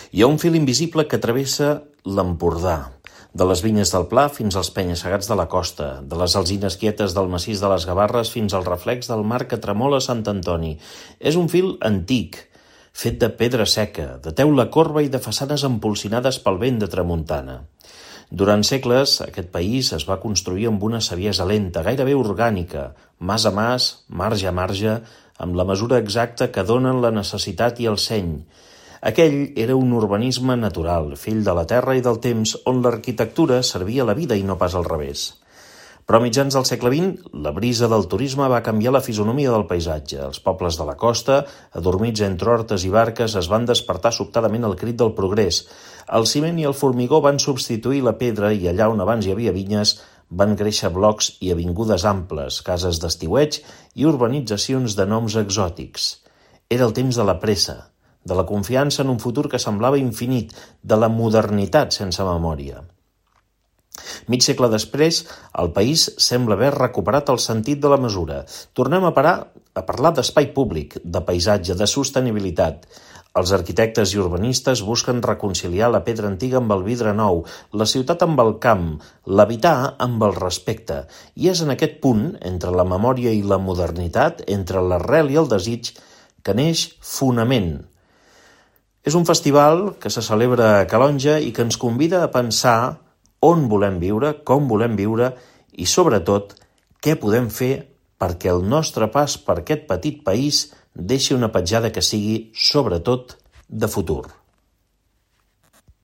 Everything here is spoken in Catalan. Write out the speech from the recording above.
Hi ha un fil invisible que travessa l'Empordà, de les vinyes del Pla fins als penya-segats de la costa, de les alzines quietes del massís de les Gavarres fins al reflex del mar que tremola a Sant Antoni. És un fil antic, fet de pedra seca, de teula corba i de façanes empolsinades pel vent de tramuntana. Durant segles, aquest país es va construir amb una saviesa lenta, gairebé orgànica, mas a mas, marge a marge, amb la mesura exacta que donen la necessitat i el seny. Aquell era un urbanisme natural, fill de la terra i del temps, on l'arquitectura servia la vida i no pas al revés. Però a mitjans del segle XX, la brisa del turisme va canviar la fisonomia del paisatge. Els pobles de la costa, adormits entre hortes i barques, es van despertar sobtadament al crit del progrés. El ciment i el formigó van substituir la pedra i allà on abans hi havia vinyes van créixer blocs i avingudes amples, cases d'estiueig i urbanitzacions de noms exòtics. Era el temps de la pressa, de la confiança en un futur que semblava infinit, de la modernitat sense memòria. Mig segle després, el país sembla haver recuperat el sentit de la mesura. Tornem a parlar d'espai públic, de paisatge, de sostenibilitat. Els arquitectes i urbanistes busquen reconciliar la pedra antiga amb el vidre nou, la ciutat amb el camp, l'habitar amb el respecte. I és en aquest punt, entre la memòria i la modernitat, entre l'arrel i el desig, que neix Fonament. És un festival que se celebra a Calonge i que ens convida a pensar on volem viure, com volem viure i, sobretot, què podem fer perquè el nostre pas per aquest petit país deixi una petjada que sigui, sobretot, de futur.